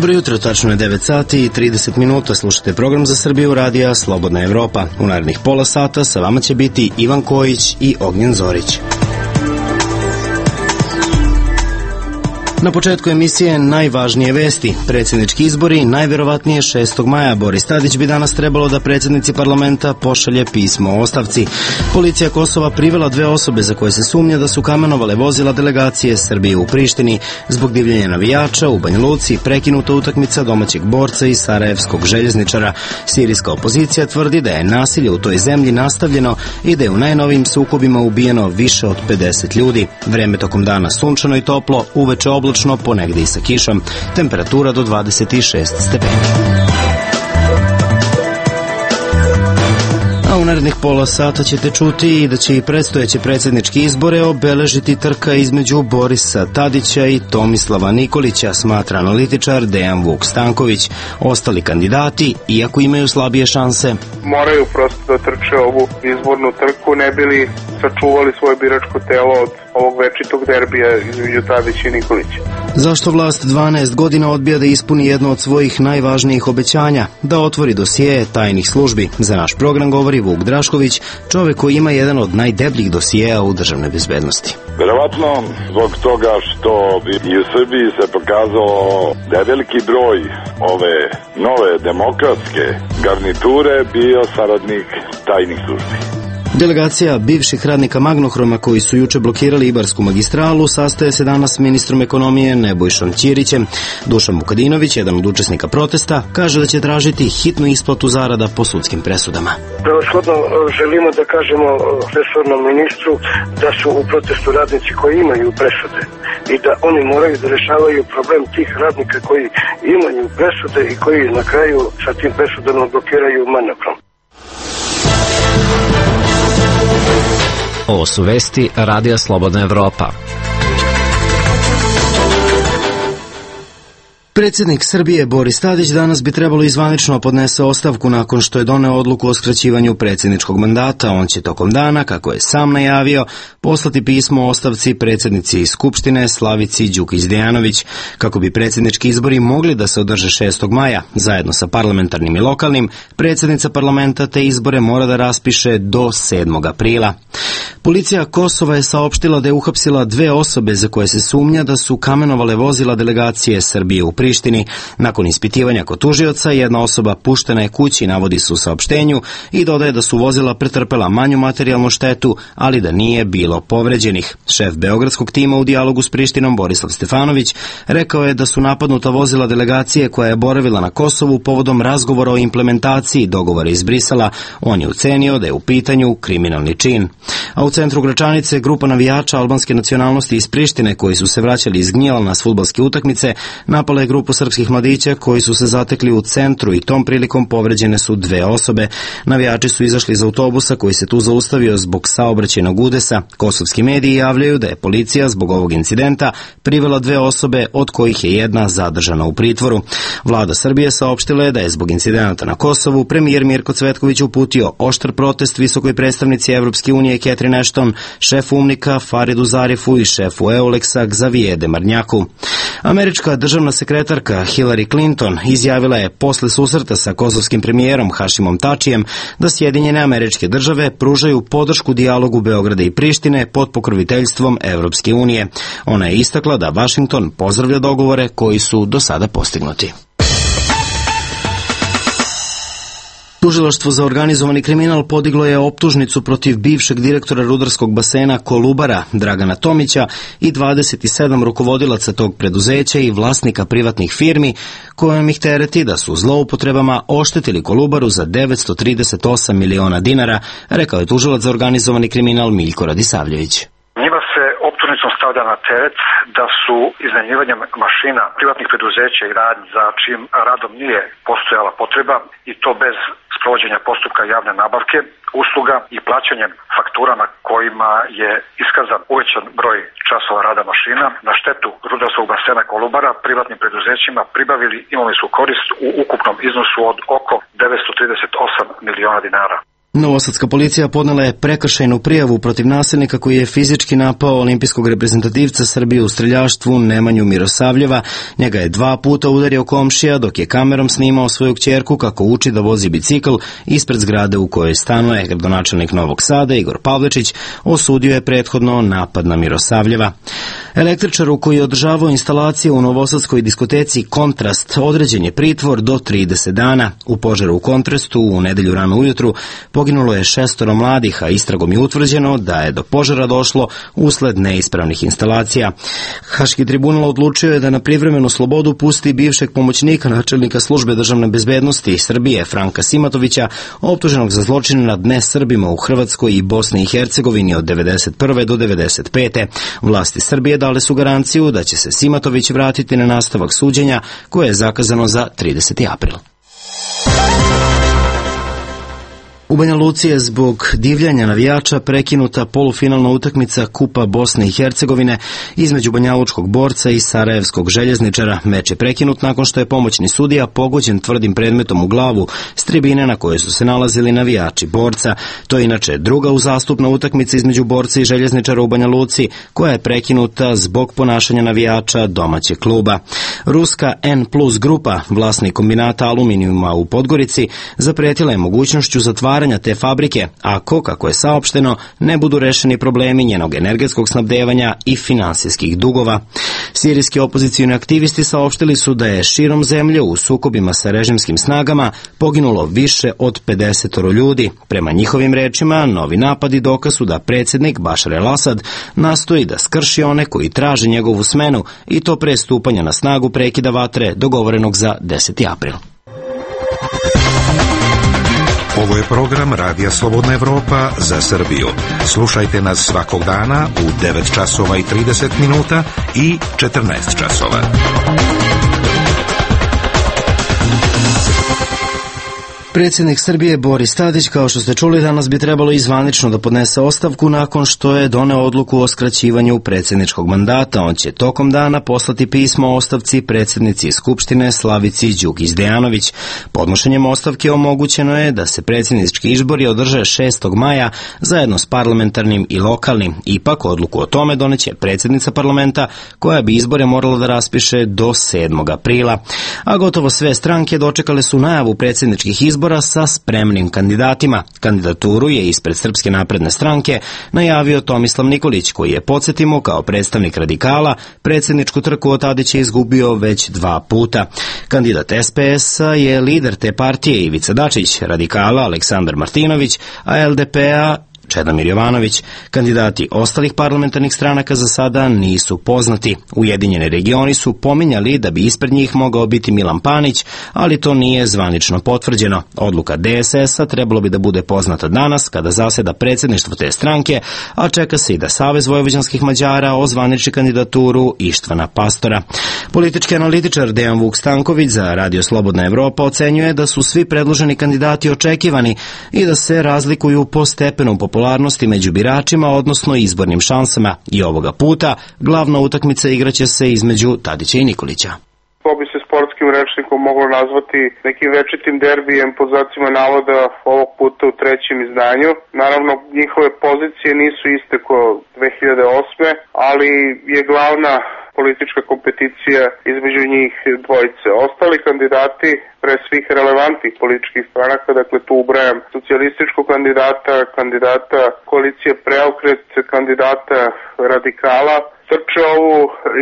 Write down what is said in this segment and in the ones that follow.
Dobro jutro, tačno je 9 sati i 30 minuta. Slušate program za Srbiju radija Slobodna Evropa. U narednih pola sata sa vama će biti Ivan Kojić i Ognjen Zorić. Na početku emisije najvažnije vesti. Predsjednički izbori najverovatnije 6. maja. Boris Tadić bi danas trebalo da predsjednici parlamenta pošalje pismo o ostavci. Policija Kosova privela 2 osobe za koje se sumnja da su kamenovale vozila delegacije Srbije u Prištini. Zbog divljenja navijača u Banja Luci prekinuta utakmica domaćeg borca i sarajevskog željezničara. Sirijska opozicija tvrdi da je nasilje u toj zemlji nastavljeno i da je u najnovijim sukobima ubijeno više od 50 ljudi. Vreme tokom dana sunčano i toplo, uveče oblačno, ponegde i sa kišom, temperatura do 26 stepeni. A u narednih pola sata ćete čuti i da će i predstojeće predsjedničke izbore obeležiti trka između Borisa Tadića i Tomislava Nikolića, smatra analitičar Dejan Vuk Stanković. Ostali kandidati, iako imaju slabije šanse, moraju prosto da trče ovu izbornu trku, ne bili sačuvali svoje biračko telo od ovog večitog derbija između Tadića i Nikolića. Zašto vlast 12 godina odbija da ispuni jedno od svojih najvažnijih obećanja, da otvori dosije tajnih službi? Za naš program govori Vuk Drašković, čovek koji ima jedan od najdebljih dosijeja u državnoj bezbednosti. Verovatno zbog toga što i u Srbiji se pokazalo da je veliki broj ove nove demokratske garniture bio saradnik tajnih službi. Delegacija bivših radnika Magnohroma koji su juče blokirali Ibarsku magistralu sastaje se danas s ministrom ekonomije Nebojšom Ćirićem. Dušan Vukadinović, jedan od učesnika protesta, kaže da će tražiti hitnu isplatu zarada po sudskim presudama. Prevashodno želimo da kažemo resornom ministru da su u protestu radnici koji imaju presude i da oni moraju da rešavaju problem tih radnika koji imaju presude i koji na kraju sa tim presudama blokiraju Magnohrom. Ovo su vesti Radija Slobodna Evropa. Predsjednik Srbije Boris Tadić danas bi trebalo izvanično podnese ostavku nakon što je doneo odluku o skraćivanju predsjedničkog mandata. On će tokom dana, kako je sam najavio, poslati pismo o ostavci predsjednici Skupštine Slavici Đukić-Dejanović. Kako bi predsjednički izbori mogli da se održe 6. maja, zajedno sa parlamentarnim i lokalnim, predsjednica parlamenta te izbore mora da raspiše do 7. aprila. Policija Kosova je saopštila da je uhapsila 2 osobe za koje se sumnja da su kamenovale vozila delegacije Srbije u Prištini. Nakon ispitivanja kod tužioca, jedna osoba puštena je kući, navodi se u saopštenju, i dodaje da su vozila pretrpela manju materijalnu štetu, ali da nije bilo povređenih. Šef beogradskog tima u dijalogu s Prištinom, Borislav Stefanović, rekao je da su napadnuta vozila delegacije koja je boravila na Kosovu povodom razgovora o implementaciji dogovora iz Brisela. On je ocenio da je u pitanju kriminalni čin. A u centru Gračanice grupa navijača albanske nacionalnosti iz Prištine koji su se vraćali iz Gnjela na fudbalske utakmice napala je grupu srpskih mladića koji su se zatekli u centru i tom prilikom povređene su 2 osobe. Navijači su izašli iz autobusa koji se tu zaustavio zbog saobraćajnog udesa. Kosovski mediji javljaju da je policija zbog ovog incidenta privela 2 osobe, od kojih je jedna zadržana u pritvoru. Vlada Srbije saopštila je da je zbog incidenata na Kosovu premijer Mirko Cvetković uputio oštar protest visokoj predstavnici Evropske unije Catherine Ashton, šefu UNMIK-a Faridu Zarifu i šefu EULEX-a Xavier Demarnjaku. Američka državna sekretarka Hillary Clinton izjavila je posle susreta sa kosovskim premijerom Hašimom Tačijem da Sjedinjene Američke Države pružaju podršku dijalogu Beograda i Prištine pod pokroviteljstvom Evropske unije. Ona je istakla da Vašington pozdravlja dogovore koji su do sada postignuti. Tužilaštvo za organizovani kriminal podiglo je optužnicu protiv bivšeg direktora rudarskog basena Kolubara Dragana Tomića i 27 rukovodilaca tog preduzeća i vlasnika privatnih firmi, kojom ih tereti da su zloupotrebama oštetili Kolubaru za 938 miliona dinara, rekao je tužilac za organizovani kriminal Miljko Radisavljević. Njima se optužnicom stavlja na teret da su iznajmljivanjem mašina privatnih preduzeća i radnji za čijim radom nije postojala potreba, i to bez sprovođenja postupka javne nabavke, usluga i plaćanjem faktura na kojima je iskazan uvećan broj časova rada mašina, na štetu rudarskog basena Kolubara privatnim preduzećima pribavili imovinsku korist u ukupnom iznosu od oko 938 miliona dinara. Novosadska policija podnela je prekršajnu prijavu protiv nasilnika koji je fizički napao olimpijskog reprezentativca Srbije u streljaštvu Nemanju Mirosavljeva. Njega je 2 puta udario komšija dok je kamerom snimao svoju kćerku kako uči da vozi bicikl ispred zgrade u kojoj stanuje. Gradonačelnik Novog Sada Igor Pavličić osudio je prethodno napad na Mirosavljeva. Električaru koji je održavao instalacije u novosadskoj diskoteci Kontrast određen je pritvor do 30 dana. U požaru u Kontrastu u nedelju rano ujutru poginulo je 6 mladih, a istragom je utvrđeno da je do požara došlo usled neispravnih instalacija. Haški tribunal odlučio je da na privremenu slobodu pusti bivšeg pomoćnika načelnika službe državne bezbednosti Srbije Franka Simatovića, optuženog za zločine nad nesrbima u Hrvatskoj i Bosni i Hercegovini od 1991. do 1995. Vlasti Srbije dale su garanciju da će se Simatović vratiti na nastavak suđenja koje je zakazano za 30. april. U Banja Luci je zbog divljanja navijača prekinuta polufinalna utakmica Kupa Bosne i Hercegovine između banjalučkog Borca i sarajevskog Željezničara. Meč je prekinut nakon što je pomoćni sudija pogođen tvrdim predmetom u glavu s tribine na kojoj su se nalazili navijači Borca. To je inače druga uzastupna utakmica između Borca i Željezničara u Banja Luci koja je prekinuta zbog ponašanja navijača domaćeg kluba. Ruska N+ grupa, vlasnik kombinata aluminijuma u Podgorici, zapretila je mogućnošću zatvaranja te fabrike ako, kako je saopšteno, ne budu rešeni problemi njenog energetskog snabdevanja i finansijskih dugova. Sirijski opozicijni aktivisti saopštili su da je širom zemlje u sukobima sa režimskim snagama poginulo više od 50 ljudi. Prema njihovim rečima, novi napadi dokaz su da predsjednik Bašar el-Asad nastoji da skrši one koji traže njegovu smenu i to pre stupanja na snagu prekida vatre dogovorenog za 10. april. Ovo je program Radija Slobodna Evropa za Srbiju. Slušajte nas svakog dana u 9 časova i 30 minuta i 14 časova. Predsjednik Srbije Boris Tadić, kao što ste čuli, danas bi trebalo i zvanično da podnese ostavku nakon što je doneo odluku o skraćivanju predsjedničkog mandata. On će tokom dana poslati pismo o ostavci predsjednici Skupštine Slavici Đukić Dejanović. Podnošenjem ostavke omogućeno je da se predsjednički izbori održe 6. maja zajedno s parlamentarnim i lokalnim. Ipak odluku o tome doneće predsjednica parlamenta koja bi izbore morala da raspiše do 7. aprila. A gotovo sve stranke dočekale su najavu predsjedničkih izbora sa spremnim kandidatima. Kandidaturu je ispred Srpske napredne stranke najavio Tomislav Nikolić, koji je, podsjetimo, kao predstavnik radikala predsjedničku trku od Tadića izgubio već 2 puta. Kandidat SPS-a je lider te partije Ivica Dačić, radikala Aleksandar Martinović, a LDP-a Čedomir Jovanović. Kandidati ostalih parlamentarnih stranaka za sada nisu poznati. Ujedinjeni regioni su pominjali da bi ispred njih mogao biti Milan Panić, ali to nije zvanično potvrđeno. Odluka DSS-a trebalo bi da bude poznata danas kada zaseda predsjedništvo te stranke, a čeka se i da Savez vojvođanskih Mađara ozvaniči kandidaturu Ištvana Pastora. Politički analitičar Dejan Vuk Stanković za Radio Slobodna Evropa ocenjuje da su svi predloženi kandidati očekivani i da se razlikuju po stepenu popularnosti među biračima, odnosno izbornim šansama. I ovoga puta glavna utakmica igraće se između Tadića i Nikolića. To bi se sportskim rečnikom moglo nazvati nekim večitim derbijem pod znacima navoda ovog puta u 3. izdanju. Naravno, njihove pozicije nisu iste ko 2008. ali je glavna politička kompeticija između njih dvojice. Ostali kandidati, pre svih relevantnih političkih stranaka, dakle tu ubrajam socijalističkog kandidata koalicije Preokret, kandidata radikala, trče ovu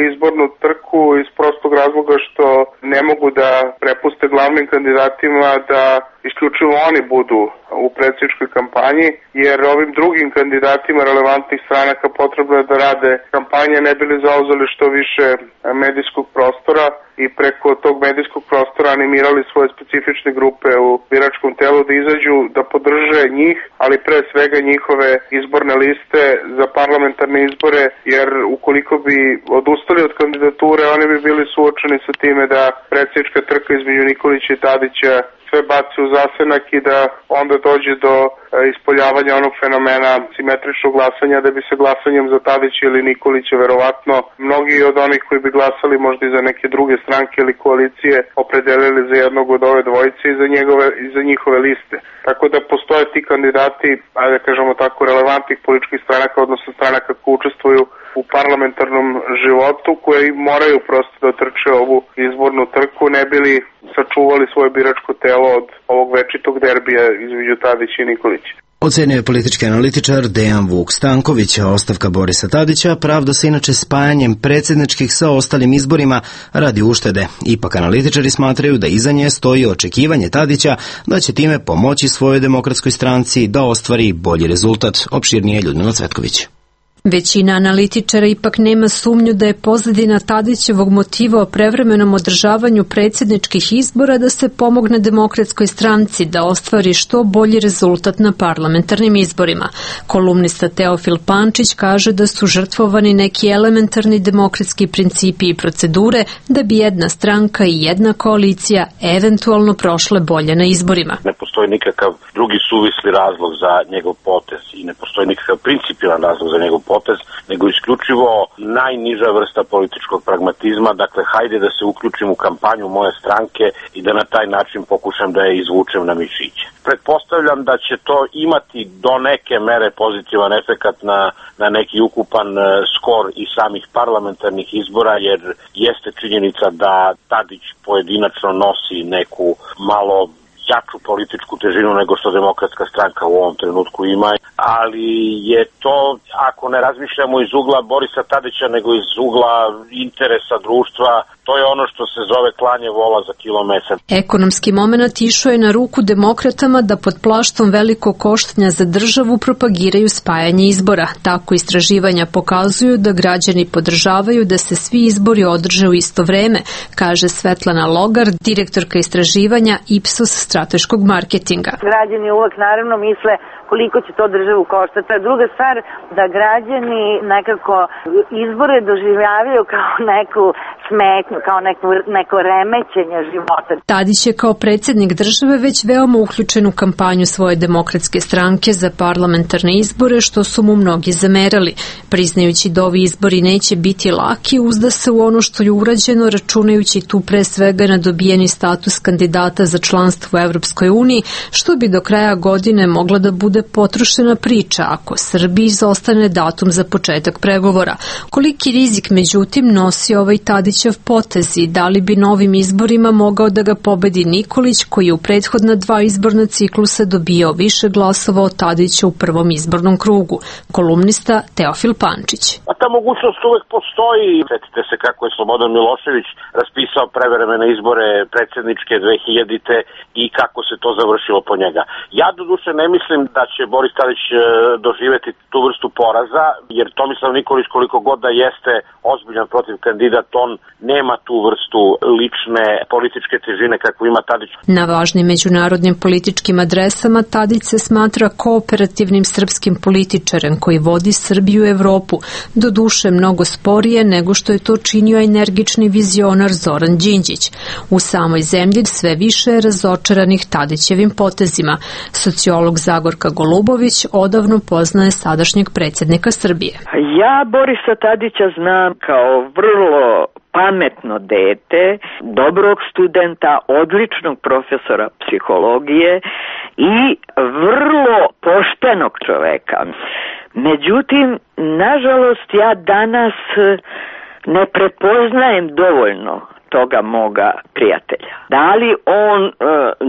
izbornu trku iz prostog razloga što ne mogu da prepuste glavnim kandidatima da isključivo oni budu u predsjedničkoj kampanji, jer ovim drugim kandidatima relevantnih stranaka potrebno je da rade kampanje ne bili zauzeli što više medijskog prostora i preko tog medijskog prostora animirali svoje specifične grupe u biračkom telu da izađu, da podrže njih, ali pre svega njihove izborne liste za parlamentarne izbore, jer ukoliko bi odustali od kandidature, oni bi bili suočeni sa time da predsjednička trka između Nikolića i Tadića sve baci u zasenak i da onda dođe do ispoljavanja onog fenomena simetričnog glasanja, da bi se glasanjem za Tadića ili Nikolića verovatno mnogi od onih koji bi glasali možda i za neke druge stranke ili koalicije opredelili za jednog od ove dvojice i za njihove liste. Tako da postoje ti kandidati, ajde kažemo tako, relevantnih političkih stranaka, odnosno stranaka koji učestvuju u parlamentarnom životu, koji moraju prosto da trče ovu izbornu trku, ne bili sačuvali svoje biračko telo od ovog večitog derbija između Tadića i Nikolića. Ocenio je politički analitičar Dejan Vuk Stanković, a ostavka Borisa Tadića pravda se inače spajanjem predsjedničkih sa ostalim izborima radi uštede. Ipak analitičari smatraju da iza nje stoji očekivanje Tadića da će time pomoći svojoj demokratskoj stranci da ostvari bolji rezultat. Opširnije Ljudmila Cvetković. Većina analitičara ipak nema sumnju da je pozadina Tadićevog motiva o prevremenom održavanju predsjedničkih izbora da se pomogne demokratskoj stranci da ostvari što bolji rezultat na parlamentarnim izborima. Kolumnista Teofil Pančić kaže da su žrtvovani neki elementarni demokratski principi i procedure da bi jedna stranka i jedna koalicija eventualno prošle bolje na izborima. Ne postoji nikakav drugi suvisli razlog za njegov potez i ne postoji nikakav principijalan razlog za njegov potez, nego isključivo najniža vrsta političkog pragmatizma, dakle hajde da se uključim u kampanju moje stranke i da na taj način pokušam da je izvučem na mišiće. Pretpostavljam da će to imati do neke mere pozitivan efekat na neki ukupan skor i samih parlamentarnih izbora, jer jeste činjenica da Tadić pojedinačno nosi neku malo jaču političku težinu nego što demokratska stranka u ovom trenutku ima, ali je to, ako ne razmišljamo iz ugla Borisa Tadića, nego iz ugla interesa društva, to je ono što se zove klanje vola za kilo mesa. Ekonomski moment išao je na ruku demokratama da pod plaštom velikog koštanja za državu propagiraju spajanje izbora. Tako istraživanja pokazuju da građani podržavaju da se svi izbori održe u isto vreme, kaže Svetlana Logar, direktorka istraživanja Ipsos strateškog marketinga. Građani uvek naravno misle koliko će to državu koštati. A druga stvar, da građani nekako izbore doživljavaju kao neku smetnju, kao neko remećenje života. Tadić je kao predsjednik države već veoma uključen u kampanju svoje demokratske stranke za parlamentarne izbore, što su mu mnogi zamerali. Priznajući da ovi izbori neće biti laki, uzda se u ono što je urađeno, računajući tu pre svega na dobijeni status kandidata za članstvo u Evropskoj uniji, što bi do kraja godine mogla da bude potrošena priča ako Srbiji izostane datum za početak pregovora. Koliki rizik međutim nosi ovaj Tadićev potez i da li bi novim izborima mogao da ga pobedi Nikolić, koji je u prethodna 2 izborna ciklusa dobijao više glasova od Tadića u prvom izbornom krugu. Kolumnista Teofil Pančić. A ta mogućnost uvek postoji. Sjetite se kako je Slobodan Milošević raspisao prevremene izbore predsjedničke 2000-te i kako se to završilo po njega. Ja doduše ne mislim da će Boris Tadić doživjeti tu vrstu poraza, jer Tomislav Nikolić koliko god da jeste ozbiljan protiv kandidat, on nema tu vrstu lične političke težine kakvu ima Tadić. Na važnim međunarodnim političkim adresama Tadić se smatra kooperativnim srpskim političarem koji vodi Srbiju u Evropu, doduše mnogo sporije nego što je to činio energični vizionar Zoran Đinđić. U samoj zemlji sve više je razočaranih Tadićevim potezima. Sociolog Zagorka Golubović odavno poznaje sadašnjeg predsjednika Srbije. Ja Borisa Tadića znam kao vrlo pametno dete, dobrog studenta, odličnog profesora psihologije i vrlo poštenog čoveka. Međutim, nažalost, ja danas ne prepoznajem dovoljno toga moga prijatelja. Da li on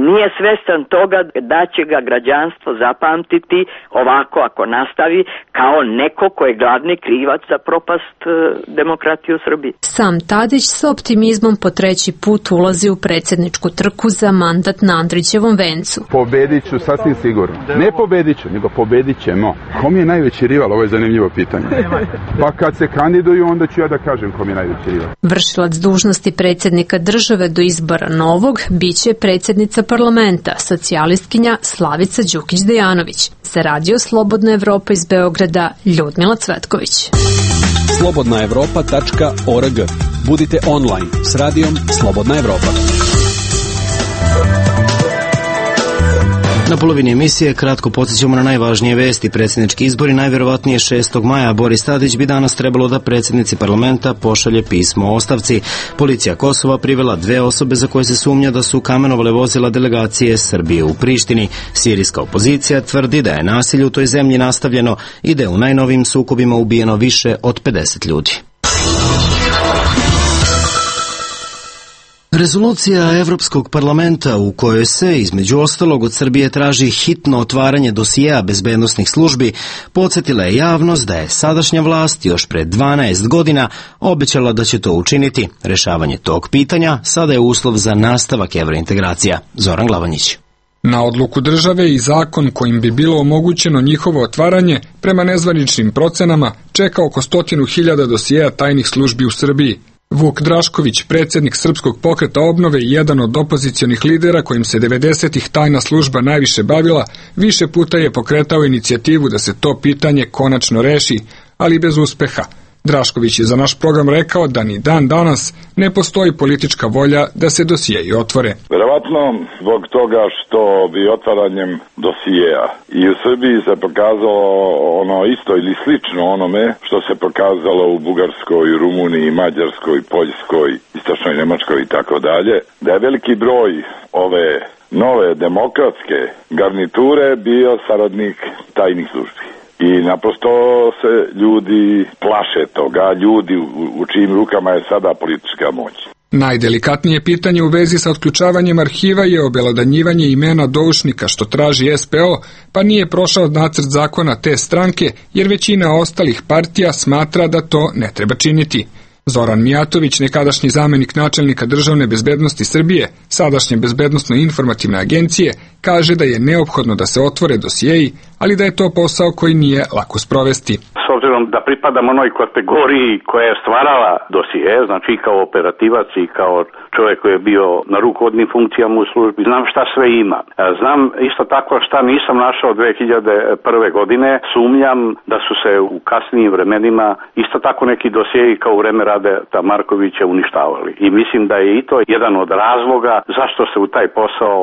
nije svestan toga da će ga građanstvo zapamtiti ovako ako nastavi kao neko ko je glavni krivac za propast demokratije u Srbiji? Sam Tadić sa optimizmom po 3. put ulazi u predsjedničku trku za mandat na Andrićevom vencu. Pobedit ću sasvim sigurno. Ne pobedit ću, nego pobedit ćemo. Kom je najveći rival? Ovo je zanimljivo pitanje. Pa kad se kandiduju, onda ću ja da kažem kom je najveći rival. Vršilac dužnosti predsjednika države do izbora novog biće predsjednica parlamenta, socijalistkinja Slavica Đukić-Dejanović. Za Radio Slobodna Evropa iz Beograda, Ljudmila Cvetković. slobodnaevropa.org. Budite online s radijom Slobodna Evropa. Na polovini emisije kratko podsjećamo na najvažnije vesti. Predsjednički izbori najvjerovatnije 6. maja. Boris Tadić bi danas trebalo da predsjednici parlamenta pošalje pismo o ostavci. Policija Kosova privela 2 osobe za koje se sumnja da su kamenovale vozila delegacije Srbije u Prištini. Sirijska opozicija tvrdi da je nasilje u toj zemlji nastavljeno i da je u najnovijim sukobima ubijeno više od 50 ljudi. Rezolucija Evropskog parlamenta u kojoj se, između ostalog, od Srbije traži hitno otvaranje dosijea bezbednosnih službi, podsjetila je javnost da je sadašnja vlast još pred 12 godina obećala da će to učiniti. Rešavanje tog pitanja sada je uslov za nastavak evrointegracija. Zoran Glavanjić. Na odluku države i zakon kojim bi bilo omogućeno njihovo otvaranje, prema nezvaničnim procenama, čeka oko 100.000 dosijeja tajnih službi u Srbiji. Vuk Drašković, predsjednik Srpskog pokreta obnove i jedan od opozicionih lidera kojim se 90-ih tajna služba najviše bavila, više puta je pokretao inicijativu da se to pitanje konačno reši, ali bez uspeha. Drašković je za naš program rekao da ni dan danas ne postoji politička volja da se dosijeji otvore. Verovatno zbog toga što bi otvaranjem dosijeja i u Srbiji se pokazalo ono isto ili slično onome što se pokazalo u Bugarskoj, Rumuniji, Mađarskoj, Poljskoj, Istočnoj Njemačkoj i tako dalje, da je veliki broj ove nove demokratske garniture bio saradnik tajnih službi. I naprosto se ljudi plaše toga, ljudi u čijim rukama je sada politička moć. Najdelikatnije pitanje u vezi sa otključavanjem arhiva je obelodanjivanje imena doušnika što traži SPO, pa nije prošao nacrt zakona te stranke, jer većina ostalih partija smatra da to ne treba činiti. Zoran Mijatović, nekadašnji zamenik načelnika državne bezbednosti Srbije, sadašnje bezbednosno-informativne agencije, kaže da je neophodno da se otvore dosijeji, ali da je to posao koji nije lako sprovesti. S obzirom da pripadam onoj kategoriji koja je stvarala dosije, znači i kao operativac i kao čovjek koji je bio na rukovodnim funkcijama u službi, znam šta sve ima. Znam isto tako šta nisam našao 2001. godine, sumnjam da su se u kasnijim vremenima isto tako neki dosijeji kao u vreme Radeta Markovića uništavali. I mislim da je i to jedan od razloga zašto se u taj posao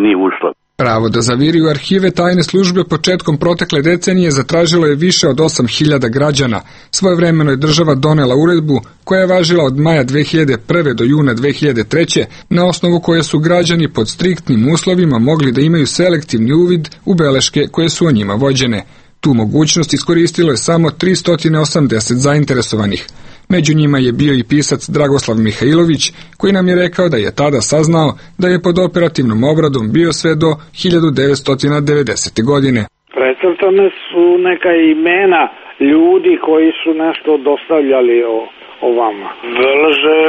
nije ušlo. Pravo da zaviri u arhive tajne službe početkom protekle decenije zatražilo je više od 8.000 građana. Svojevremeno je država donela uredbu koja je važila od maja 2001. do juna 2003. na osnovu koje su građani pod striktnim uslovima mogli da imaju selektivni uvid u beleške koje su o njima vođene. Tu mogućnost iskoristilo je samo 380 zainteresovanih. Među njima je bio i pisac Dragoslav Mihajlović, koji nam je rekao da je tada saznao da je pod operativnom obradom bio sve do 1990. godine. Precrtane su neka imena ljudi koji su nešto dostavljali o vama. Beleže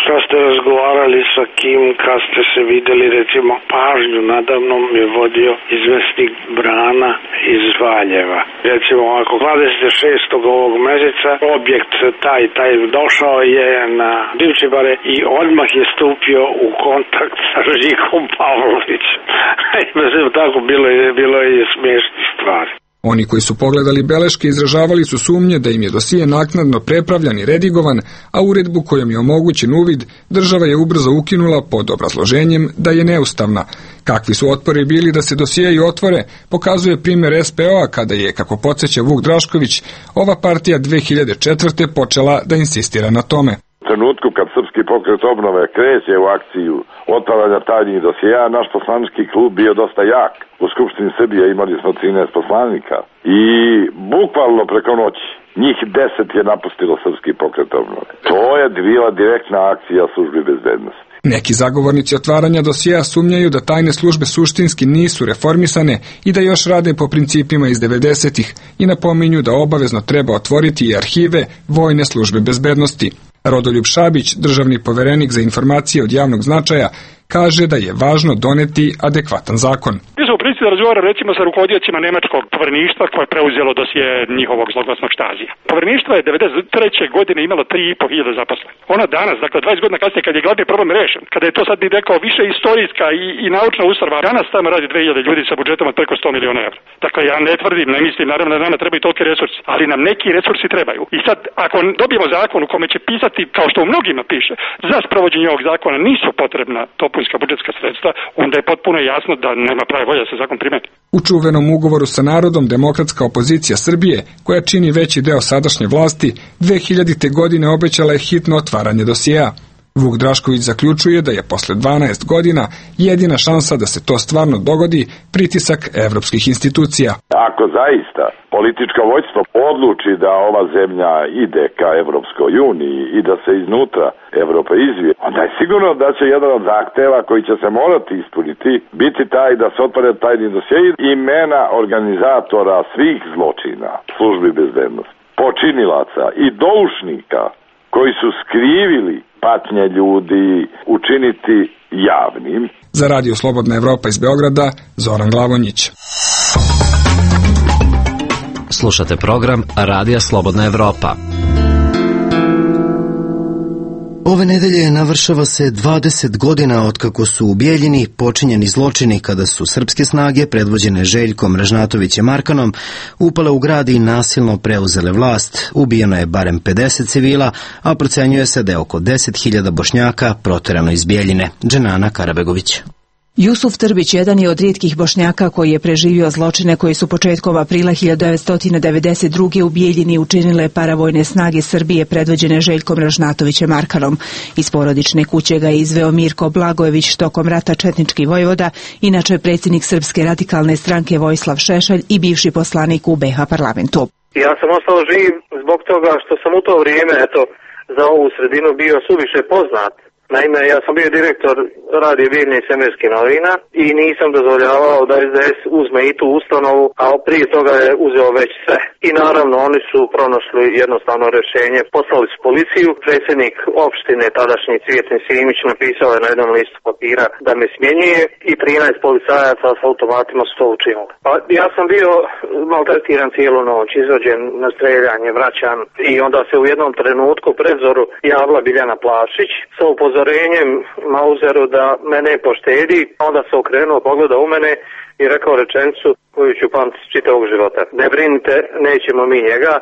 šta ste razgovarali sa kim, kad ste se videli, recimo pažnju nadavno mi je vodio izvesnik Brana iz Valjeva. Recimo ako 26. ovog meseca objekt taj došao je na Divčibare i odmah je stupio u kontakt sa Žikom Pavlovićem. Mislim, tako bilo je i smiješnih stvari. Oni koji su pogledali beleške izražavali su sumnje da im je dosije naknadno prepravljan i redigovan, a uredbu kojom je omogućen uvid država je ubrzo ukinula pod obrazloženjem da je neustavna. Kakvi su otpori bili da se dosijeji otvore, pokazuje primjer SPO-a kada je, kako podsjeća Vuk Drašković, ova partija 2004. počela da insistira na tome. U trenutku kad Srpski pokret obnove kreće u akciju otvaranja tajnih dosijeja, naš poslanički klub bio dosta jak. U Skupštini Srbije imali smo 13 poslanika i bukvalno preko noći njih 10 je napustilo Srpski pokret obnove. To je bila direktna akcija službi bezbednosti. Neki zagovornici otvaranja dosijeja sumnjaju da tajne službe suštinski nisu reformisane i da još rade po principima iz 90-ih i napominju da obavezno treba otvoriti i arhive vojne službe bezbednosti. Rodoljub Šabić, državni poverenik za informacije od javnog značaja, kaže da je važno doneti adekvatan zakon. Mi smo u principu da razgovaram recimo sa rukovodiocima nemačkog povereništva koje je preuzelo dosije njihovog zloglasnog Štazija. Povereništvo je 1993. godine imalo 3.500 zaposlenih. Ona danas, dakle 20 godina kasnije, kad je glavni problem rešen, kada je to sad bi rekao više istorijska i naučna ustanova, danas tamo radi 2000 ljudi sa budžetom od preko 100 miliona evra. Dakle, ja ne tvrdim, ne mislim, naravno da nama trebaju toliki resursi, ali nam neki resursi trebaju. I sad, ako dobijemo zakon u kome će pisati, kao što u mnogima piše, za sprovođenje ovog zakona nisu potrebna dopunska budžetska sredstva, onda je potpuno jasno da nema prave volje da se se zakon primeni. U čuvenom ugovoru sa narodom demokratska opozicija Srbije, koja čini veći deo sadašnje vlasti, 2000. godine obećala je hitno otvaranje dosjea. Vuk Drašković zaključuje da je posle 12 godina jedina šansa da se to stvarno dogodi pritisak evropskih institucija. Ako zaista političko vođstvo odluči da ova zemlja ide ka Evropskoj uniji i da se iznutra Evropa izvije, onda je sigurno da će jedan od zahteva koji će se morati ispuniti biti taj da se otvore tajni dosjei imena organizatora svih zločina, službi bezbednosti, počinilaca i doušnika koji su skrivili patnje ljudi, učiniti javnim. Za Radio Slobodna Evropa iz Beograda, Zoran Glavonjić. Slušate program Radija Slobodna Evropa. Ove nedelje navršava se 20 godina otkako su u Bijeljini počinjeni zločini kada su srpske snage predvođene Željkom Ražnatovićem Arkanom upale u grad i nasilno preuzele vlast. Ubijeno je barem 50 civila, a procenjuje se da je oko 10.000 Bošnjaka proterano iz Bijeljine. Dženana Karabegović. Jusuf Trbić jedan je od rijetkih Bošnjaka koji je preživio zločine koji su početkom aprila 1992. u Bijeljini učinile paravojne snage Srbije predvođene Željkom Ražnatovićem Arkanom. Iz porodične kuće ga je izveo Mirko Blagojević, tokom rata četnički vojvoda, inače predsjednik Srpske radikalne stranke Vojislav Šešelj i bivši poslanik u BiH parlamentu. Ja sam ostao živ zbog toga što sam u to vrijeme, za ovu sredinu bio suviše poznat. Naime, ja sam bio direktor radije Bijeljine i Svemirskih novina i nisam dozvoljavao da SDS uzme i tu ustanovu, a prije toga je uzeo već sve. I naravno oni su pronašli jednostavno rješenje, poslali su policiju, predsjednik opštine tadašnji Cvijetin Simić napisao je na jednom listu papira da me smjenjuje i 13 policajaca s automatima su to učinili. Pa ja sam bio maltretiran cijelu noć, izvođen na streljanje, vraćan i onda se u jednom trenutku predzoru javila Biljana Plavšić sa upozorenjem Mauzeru da mene poštedi, onda se okrenuo, pogledao u mene i rekao rečenicu koju ću pamtiti čitavog života. Ne brinite, nećemo mi njega,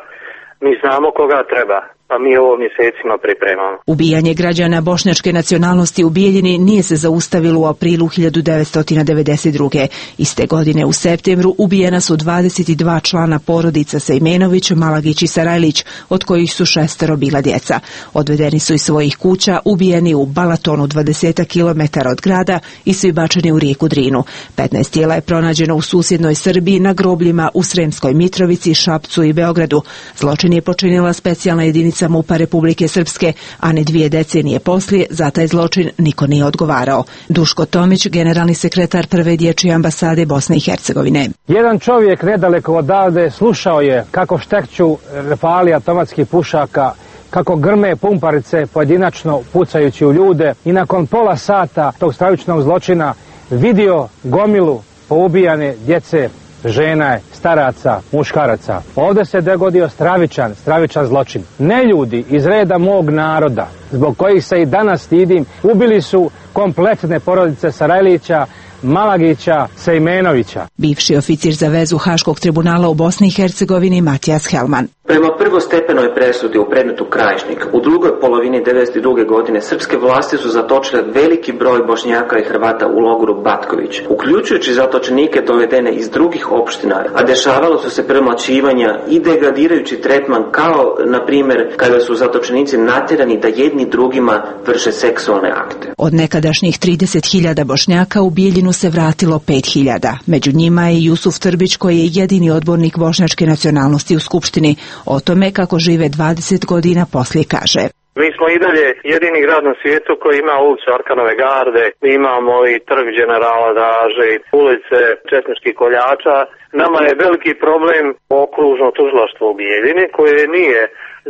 mi znamo koga treba, pa mi ovo mjesecima pripremamo. Ubijanje građana bošnjačke nacionalnosti u Bijeljini nije se zaustavilo u aprilu 1992. Iste godine u septembru ubijena su 22 člana porodica Sejmenović, Malagić i Sarajlić, od kojih su 6 bila djeca. Odvedeni su iz svojih kuća, ubijeni u Balatonu 20 km od grada i svi bačeni u rijeku Drinu. 15 tijela je pronađeno u susjednoj Srbiji na grobljima u Sremskoj Mitrovici, Šapcu i Beogradu. Zločin je počinila specijalna jedinica MUP-a Republike Srpske, a ne 2 decenije poslije za taj zločin niko nije odgovarao. Duško Tomić, generalni sekretar prve dječje ambasade Bosne i Hercegovine. Jedan čovjek nedaleko odavde slušao je kako štekću rafali automatskih pušaka, kako grme pumparice pojedinačno pucajući u ljude i nakon pola sata tog stravičnog zločina vidio gomilu poubijane djece, žena, staraca, muškaraca. Ovdje se dogodio stravičan zločin. Neljudi iz reda mog naroda, zbog kojih se i danas stidim, ubili su kompletne porodice Sarajlića, Malagića, Sejmenovića. Bivši oficir za vezu Haškog tribunala u Bosni i Hercegovini Matijas Helman. Prema prvostepenoj presudi u predmetu Krajišnik, u drugoj polovini 1992. godine srpske vlasti su zatočile veliki broj Bošnjaka i Hrvata u logoru Batković, uključujući zatočenike dovedene iz drugih opština, a dešavalo su se premlaćivanja i degradirajući tretman, kao, na primjer, kada su zatočenici natjerani da jedni drugima vrše seksualne akte. Od nekadašnjih 30.000 Bošnjaka u Bijeljinu se vratilo 5.000. Među njima je Jusuf Trbić, koji je jedini odbornik bošnjačke nacionalnosti u Skupštini. O tome kako žive 20 godina poslije kaže. Mi smo i dalje jedini grad na svijetu koji ima ulicu Arkanove garde, imamo i trg generala Draže, ulice četničkih koljača. Nama je veliki problem okružno tužilaštvo u Bijeljini koje nije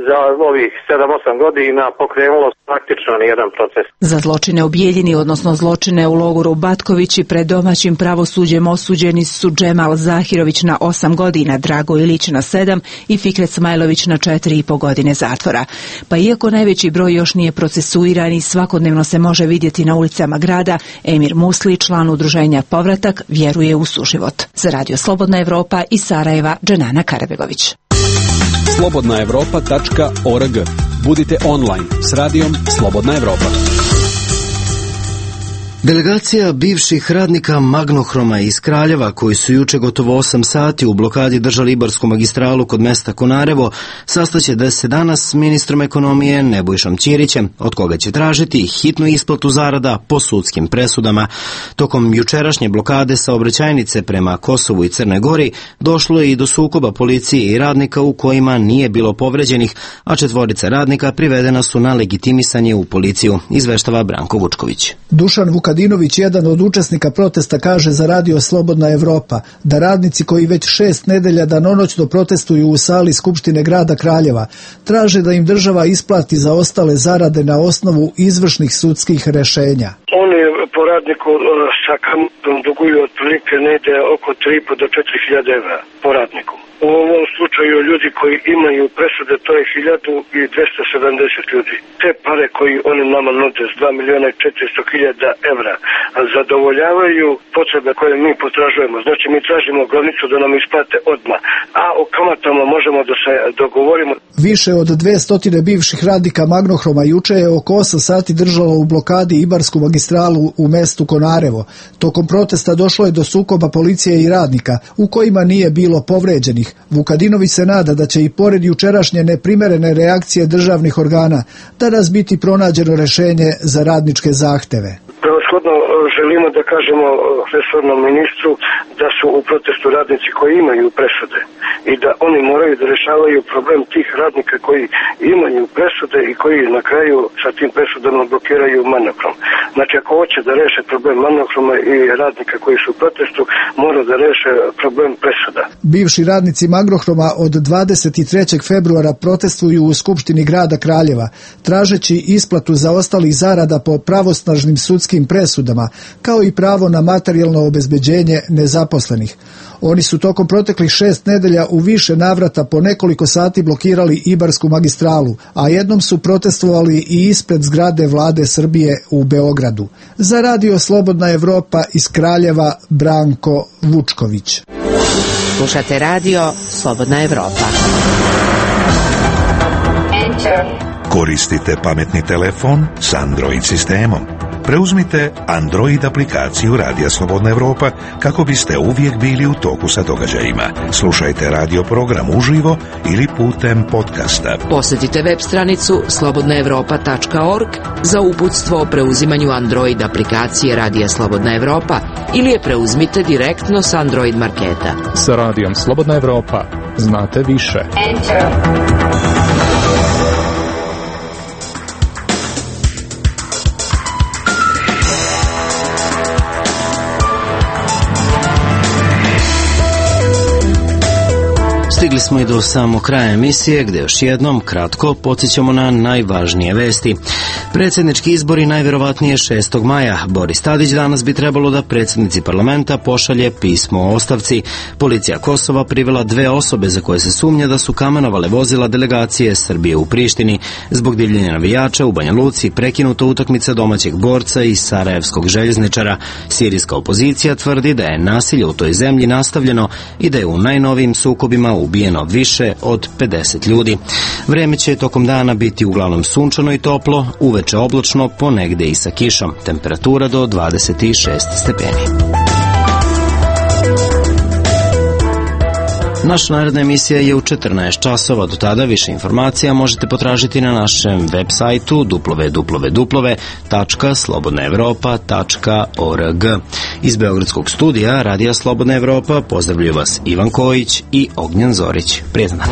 za ovih 7-8 godina pokrenulo praktično nijedan proces. Za zločine u Bijeljini, odnosno zločine u logoru Batković i pred domaćim pravosuđem osuđeni su Džemal Zahirović na 8 godina, Drago Ilić na 7 i Fikret Smajlović na 4,5 godine zatvora. Pa iako najveći broj još nije procesuiran i svakodnevno se može vidjeti na ulicama grada, Emir Musli, član udruženja Povratak, vjeruje u suživot. Za Radio Slobodna Evropa iz Sarajeva, Dženana Karabegović. slobodnaevropa.org. Budite online s radijom Slobodna Evropa. Delegacija bivših radnika Magnohroma iz Kraljeva, koji su juče gotovo 8 sati u blokadi držali Ibarsku magistralu kod mesta Konarevo, sastaće da se danas s ministrom ekonomije Nebojšom Ćirićem, od koga će tražiti hitnu isplatu zarada po sudskim presudama. Tokom jučerašnje blokade saobraćajnice prema Kosovu i Crnoj Gori došlo je i do sukoba policije i radnika u kojima nije bilo povređenih, a 4 radnika privedena su na legitimisanje u policiju, izveštava Branko Vučković. Dušan Vukadinović, jedan od učesnika protesta, kaže za radio Slobodna Evropa da radnici koji već 6 nedelja danonoćno protestuju u sali Skupštine grada Kraljeva traže da im država isplati zaostale zarade na osnovu izvršnih sudskih rešenja. Oni po radniku sa kamatom duguju otprilike negde oko 3.500 do 4.000 evra po radniku. U ovom slučaju ljudi koji imaju presude, to je 1270 ljudi. Te pare koji oni nama nude s 2.400.000 evra zadovoljavaju potrebe koje mi potražujemo. Znači mi tražimo glavnicu da nam isplate odmah, a o kamatama možemo da se dogovorimo. Više od 200 bivših radnika Magnohroma juče je oko 8 sati držalo u blokadi Ibarsku magistralu u mestu Konarevo. Tokom protesta došlo je do sukoba policije i radnika, u kojima nije bilo povređenih. Vukadinović se nada da će i pored jučerašnje neprimerene reakcije državnih organa danas biti pronađeno rešenje za radničke zahteve. Prevashodno želimo da kažemo resornom ministru da su u protestu radnici koji imaju presude i da oni moraju da rešavaju problem tih radnika koji imaju presude i koji na kraju sa tim presudama blokiraju Magnohrom. Znači ako hoće da reše problem Magnohroma i radnika koji su u protestu, mora da reše problem presuda. Bivši radnici Magnohroma od 23. februara protestuju u Skupštini grada Kraljeva, tražeći isplatu zaostalih zarada po pravosnažnim sudskim presudama, kao i pravo na materijalno obezbeđenje nezaposlenih. Oni su tokom proteklih 6 nedelja u više navrata po nekoliko sati blokirali Ibarsku magistralu, a jednom su protestovali i ispred zgrade Vlade Srbije u Beogradu. Za radio Slobodna Evropa iz Kraljeva, Branko Vučković. Slušate radio Slobodna Evropa. Koristite pametni telefon s Android sistemom. Preuzmite Android aplikaciju Radija Slobodna Evropa kako biste uvijek bili u toku sa događajima. Slušajte radio program uživo ili putem podcasta. Posjetite web stranicu slobodnaevropa.org za uputstvo o preuzimanju Android aplikacije Radija Slobodna Evropa ili je preuzmite direktno s Android marketa. Sa Radijom Slobodna Evropa znate više. Stigli smo i do samog kraja emisije, gde još jednom kratko podsjećamo na najvažnije vesti. Predsjednički izbori najvjerovatnije 6. maja. Boris Tadić danas bi trebalo da predsjednici parlamenta pošalje pismo o ostavci. Policija Kosova privela 2 osobe za koje se sumnja da su kamenovale vozila delegacije Srbije u Prištini. Zbog divljenja navijača u Banja Luci prekinuta utakmica domaćeg borca i sarajevskog željezničara. Sirijska opozicija tvrdi da je nasilje u toj zemlji nastavljeno i da je u najnovijim sukobima ubijeno više od 50 ljudi. Vreme će tokom dana biti uglavnom sunčano i toplo, uveče oblačno, ponegde i sa kišom. Temperatura do 26 stepeni. Naša naredna emisija je u 14 časova. Do tada više informacija možete potražiti na našem web sajtu www.slobodnaevropa.org. Iz Beogradskog studija Radija Slobodna Evropa pozdravljaju vas Ivan Kojić i Ognjen Zorić. Prijetan dan.